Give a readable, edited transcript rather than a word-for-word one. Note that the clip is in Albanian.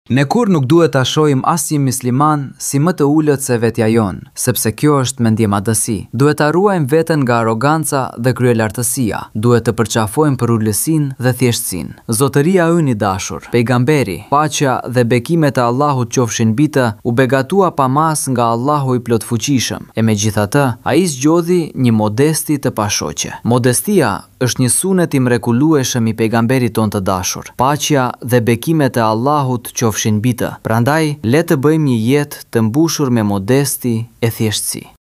Ne kurrë nuk duhet ta shohim asnjë mysliman si më të ulët se vetja jonë, sepse kjo është mendjemadhësi. Duhet ta ruajmë veten nga arroganca dhe kryelartësia, duhet të përqafojmë përulësinë dhe thjeshtësinë. Zotëria ynë i dashur, Pejgamberi, paqja dhe bekimet e Allahut qofshin mbi të, u begatua pa masë nga Allahu i Plotfuqishëm, e megjithatë, ai zgjodhi një modesti të pashoqe. Modestia është një sunet i mrekullueshëm i Pejgamberit tonë të dashur, paqja dhe bekimet e Allahut qofshin mbi të, prandaj le të bëjmë një jetë të mbushur me modesti e thjeshtësi.